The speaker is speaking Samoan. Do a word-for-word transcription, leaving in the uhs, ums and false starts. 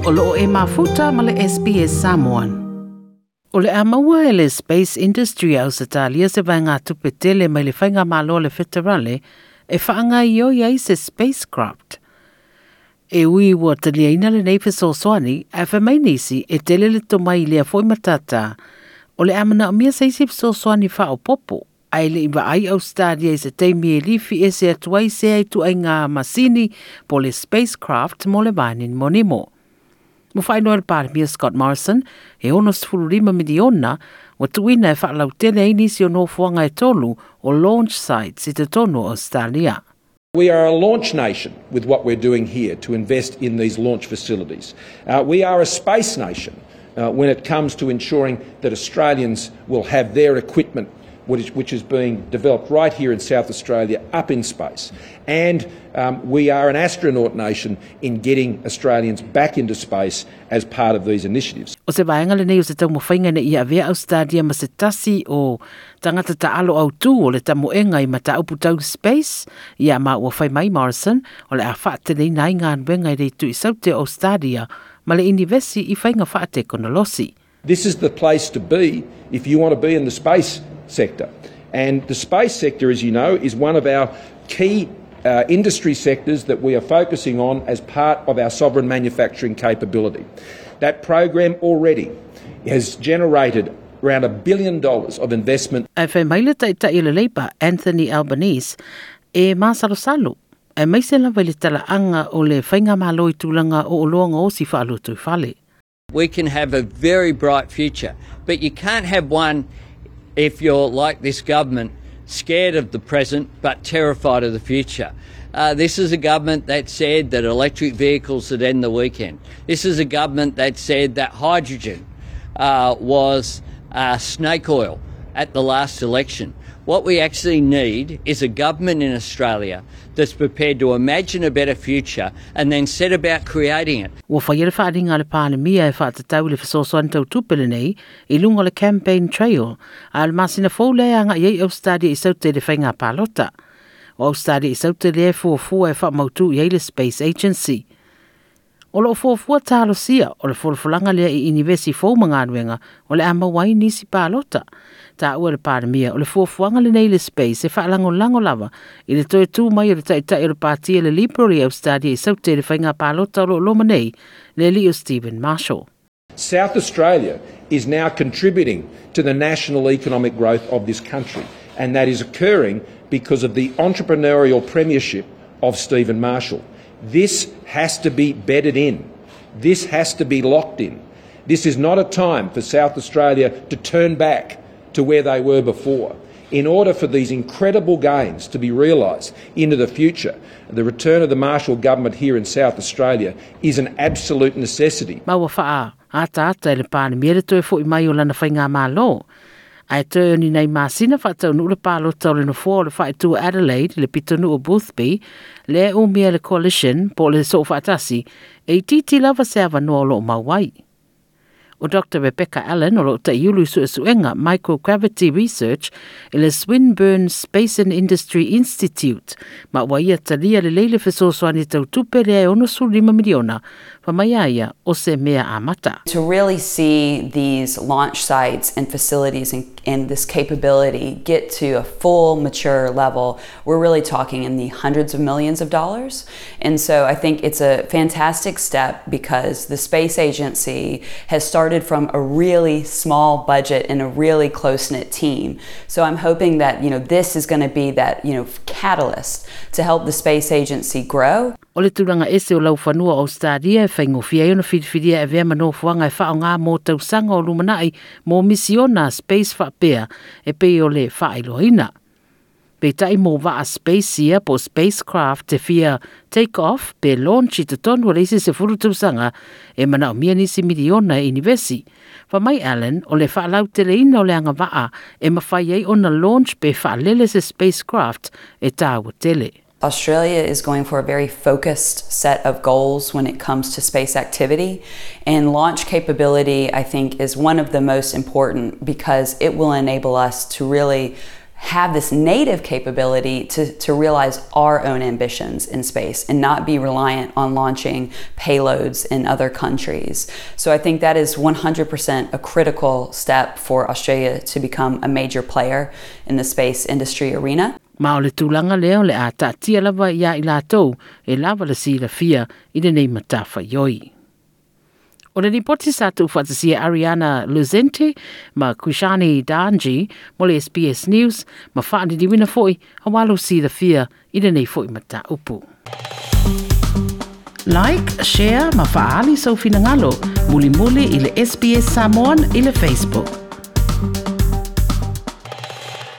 O loo e mafuta ma le S B S Samoan. O le a maua e le Space Industry a Ausetalia se vaegatupe tele mai le Faigamalo le Feterale e faagaoioi ai se spacecraft. E ui ua taliaina lenei fesoasoani, ae fai mai nisi e tele le tomai i lea foi matata. O le a manaomia se isi fesoasoani faaopoopo, ae le i vaai Ausetalia i se taimi e lifi ese atu ai sea ituaiga masini po le spacecraft mo le vanimonimo. Ua faailoa le Palemia Scott Morrison e ono sefulu lima miliona ua tuuina e faalautele ai nisi o nofoaga e tolu o launch sites i totonu o Australia. We are a launch nation with what we're doing here to invest in these launch facilities. Uh, we are a space nation uh, when it comes to ensuring that Australians will have their equipment, which is, which is being developed right here in South Australia, up in space. And um, we are an astronaut nation in getting Australians back into space as part of these initiatives. O se vaega lenei o se taumafaiga ina ia avea Australia ma se tasi o tagata taalo autū o le tamoega i mataupu tau space, ia ma ua fai mai Morrison o le a faateleina ai galuega i le itu i saute o Australia ma le inivesi i faiga faatekonolosi. This is the place to be if you want to be in the space sector. And the space sector, as you know, is one of our key uh, industry sectors that we are focusing on as part of our sovereign manufacturing capability. That program already has generated around a billion dollars of investment. Ae fai mai le taitai o le Labour, Anthony Albanese, e masalosalo aemaise lava i le talaaga o le faigamalo i tulaga o oloa gaosi faalotoifale. We can have a very bright future, but you can't have one if you're like this government, scared of the present but terrified of the future. Uh, this is a government that said that electric vehicles would end the weekend. This is a government that said that hydrogen uh, was uh, snake oil at the last election. What we actually need is a government in Australia that's prepared to imagine a better future and then set about creating it. Ua faia le faaaliga a le Palemia e faatatau i le fesoasoani tautupe lenei i luga o le campaign trail, a o le masina fou lea e agai ai Australia i saute i le faiga palota. O Australia i saute lea e fuafua e faamautu i ai le Space Agency. O loo fuafua talosia o le folafolaga lea i inivesi fou ma galuega o le a maua ai nisi palota. Taua le Palemia o le fuafuaga lenei le space e faalagolago lava i le toe tu mai o le taitai o le patia le Liberal i Australia i saute i le faiga palota o loo loma nei, le alii o Stephen Marshall. South Australia is now contributing to the national economic growth of this country, and that is occurring because of the entrepreneurial premiership of Stephen Marshall. This has to be bedded in. This has to be locked in. This is not a time for South Australia to turn back to where they were before. In order for these incredible gains to be realised into the future, the return of the Marshall government here in South Australia is an absolute necessity. Ma ua faaataata e le Palemia le toe fo'i mai o lana faigamalo. Ae toe o ni nai masina faataunuu le palota o le nofoa o le faaitu Adelaide le pitonuu o Boothby, lea umia le Coalition po o le Soofaatasi, e itiiti lava se avanoa o loo mau ai. O Doctor Rebecca Allen o loo taiulu i suesuega Microgravity Research i le Swinburne Space and Industry Institute, ma ua ia talia lelei le fesoasoani tautupe lea e ono sefulu lima miliona, fai mai ia o se mea amata. To really see these launch sites and facilities and, and this capability get to a full mature level, we're really talking in the hundreds of millions of dollars. And so I think it's a fantastic step because the space agency has started from a really small budget and a really close-knit team. So I'm hoping that, you know, this is going to be that, you know, catalyst to help the space agency grow. O le tulaga ese o laufanua o Australia e faigofie ai ona filifilia e avea ma nofoaga e faaaoga mo tausaga o lumanai mo misiona space faapea e pei o le faailoaina. Peitai mo vaa space ia po spacecraft e fia take off pe launch i totonu o le isi sefulu tausaga e manaomia nisi miliona e inivesi. Fai mai Allen o le faalauteleina o le agavaa e mafai ai ona launch pe faalele se spacecraft e tāua tele. Australia is going for a very focused set of goals when it comes to space activity. And launch capability, I think, is one of the most important because it will enable us to really have this native capability to, to realize our own ambitions in space and not be reliant on launching payloads in other countries. So I think that is one hundred percent a critical step for Australia to become a major player in the space industry arena. Ma o le tulaga lea o le a taatia lava ia i latou e lava le silafia i lenei matafaioi. O le ripoti sa tuufaatasia Ariana Luzente ma Kushani Danji mo le S B S News ma faaliliuina foi auā lou silafia i lenei foi mataupu. Like, share ma faaali sou finagalo mulimuli i le S B S Samoan i le Facebook.